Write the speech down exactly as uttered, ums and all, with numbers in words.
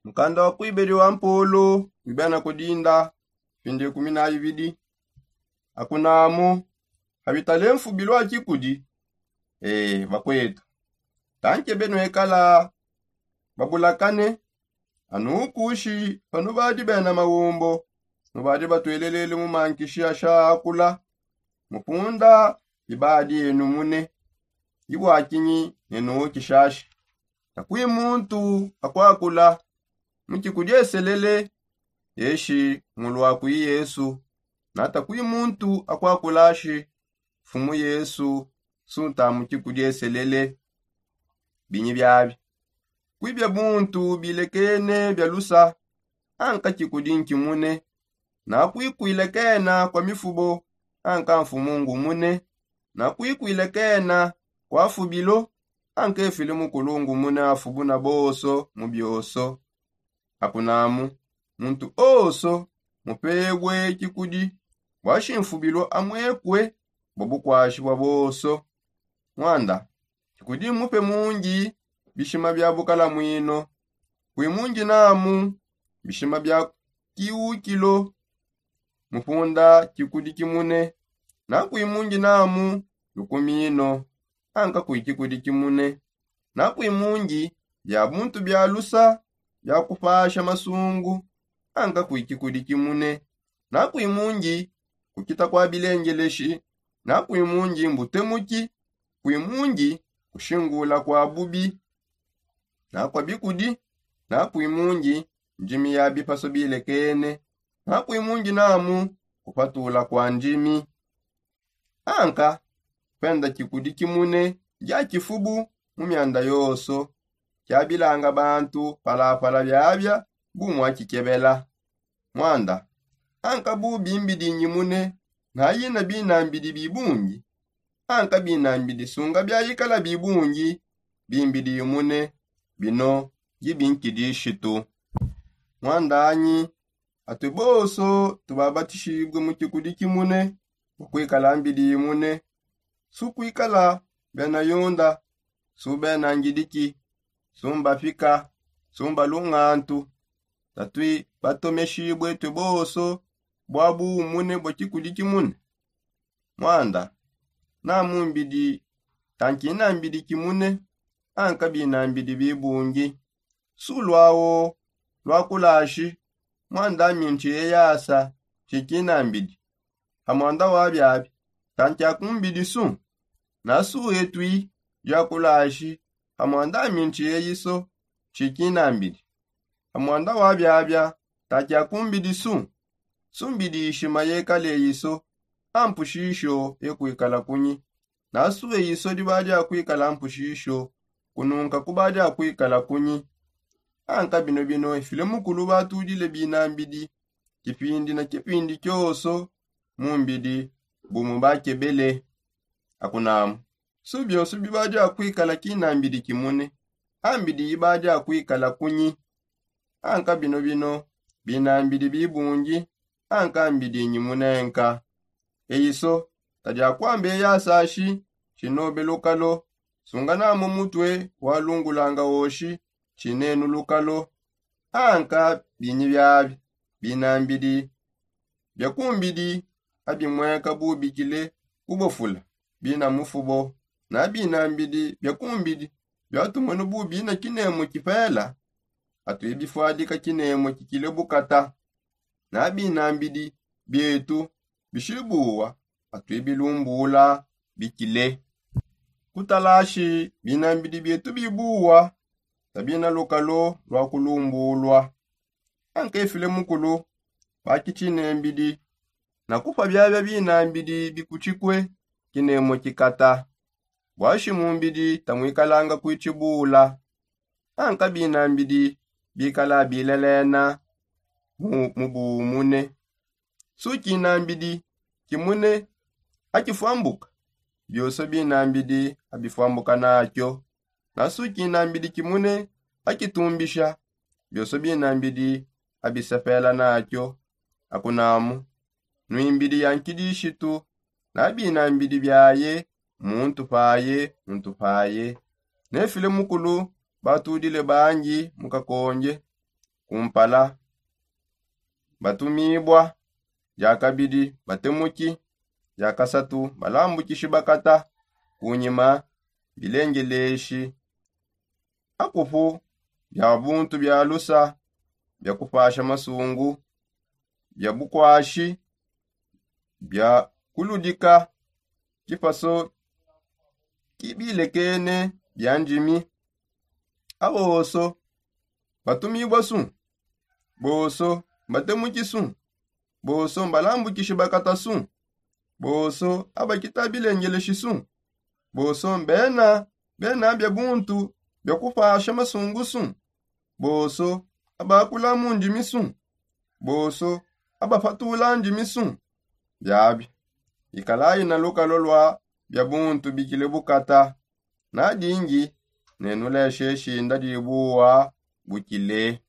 Mukanda wa kuibedi wa mpolo wibena kudinda pindi ikumi na ibidi. Akunamu habitale mfubi lwa kikudi. Ee bakwetu, tankebe nwekala babulakane. Anukushi panu badi bena mawumbo, nubadi batwelelele mu mankishi asha akula mupunda. Ibadi enu mune ibwakinyi nenu kishashi. Nakwi muntu akwakula mukikudieselele eshi ngulwakwi yesu. Natakwi muntu akwakulashi mfumu yesu sunta mukikudieselele. Binyi biabi kwibia muntu bilekene bia lusa. Anka kikudi nkimune. Nakwikwilekena kwa mifubo anka mfumu ngumune. Nakwikwilekena kwa fubilo anka efile mukulu ngumune afubu na boso mu bioso. Akunamu muntu oso mupebwe kikudi bwa shimfubilo amwekwe bwa bukwashi bwa boso. Mwanda kikudi mupe mungi bishima bia bukala mwino. Kwi mungi namu bishima bia kiukilo mupunda kikudi kimune. Nakwi mungi namu lukumino anka kwi kikudi kimune. Nakwi mungi bia buntu bia lusa bia kupasha masungu anka kwi kikudi kimune. Nakwi mungi kukita kwa bilengeleshi. Nakwi mungi mbutemuki. Kwi mungi kushingula kwa bubi nakwa bikudi. Nakwi mungi ndimi ya bipaso bilekene. Nakwi mungi namu kupatula kwa ndimi. Anka penda kikudi kimune dia kifubu mu mianda yoso kiabilanga bantu palapala biabia bu mwakikebela. Mwanda anka bu bimbidi nyimune nayina binambidi bibungi. Anka binambidi sunga biayikala bibungi bimbidi yimune. Bino yibinkidishitu. Mwandanyi atue boso tubabatishibue mu kikudi kimune mu kwikala mbidi yimune. Su kwikala bena yunda su bena ngidiki su mbapika su mbalungantu. Tatui batomeshibue tue boso bwa buumune bua kikudi kimune. Mwanda namu mbidi tankina mbidi kimune anka binambidi bibungi. Su lwawo lwakulashi mwanda mintshiye yasa tshikinambidi. Ha mwanda wa biabi tankia kumbidi su. Nasu etui yakulashi ha mwanda mintshiye yiso tshikinambidi. Ha mwanda wa biabia tankia kumbidi su. Su mbidi ishima yekale yiso ampushisho ekwikala kunyi. Nasu eyiso dibadi akwikala mpushisho kununka kubadi akwikala kunyi. Anka bino bino efile mukulu batudile binambidi kipindi na kipindi kioso mu mbidi bumu bakebele. Akunamu su bioso bibadi akwikala kinambidi kimune. Ambidi yibadi akwikala kunyi. Anka bino bino binambidi bibungi anka mbidi nyimunenka. Eyiso tadi akwamba eyasashi tshinobe lukalo. Sunganamu mutue walungulanga woshi tshinenu lukalo. Anka binyi biabi binambidi bia kumbidi abimweka bu bikile kubofula bina mufubo. Na binambidi bia kumbidi biatumwenu bu bina kinemu kipela atu ebifwadika kinemu kikile bukata. Na binambidi bietu bishibuwa atu ebilumbula bikile. Kutalashi binambidi bietu bibuwa tabina lukalo lwa kulumbulwa. Anka efile mukulu bakitshine mbidi na kupa biabia binambidi bikutshikue kinemu kikata. Bwashi mumbidi tamwikalanga kuitshibula. Anka binambidi bikala bilelena mu buumune. Su kinambidi kimune akifwambuka bioso binambidi abifwambuka nakio. Na su kinambidi kimune akitumbisha bioso binambidi abisepela nakio. Akunamu nwimbidi ya nkidishitu na binambidi biaye muntu paye muntu paye. Nefile mukulu batudile bangi mu kakonge. kumpala batumibua, dia kabidi batemuki, dia kasatu balambukishi bakata, kunyima bilengeleshi akupu bia buntu bia lusa, bia kupasha masungu, bia bukwashi, bia kuludika kipaso kibilekene bia ndimi. Aboso batumibua su? Boso mbatemuki su? Boso mbalambukishi bakata su? Boso abakita bilengeleshi su? Boso mbena bena bia buntu bia kupasha masungu su? Boso abakula mu ndimi su? Boso abapatula ndimi su? Biabi ikalayi na lukalo lua bia buntu bikile bukata. Nadingi nenuleshe shinda dibuwa bukile.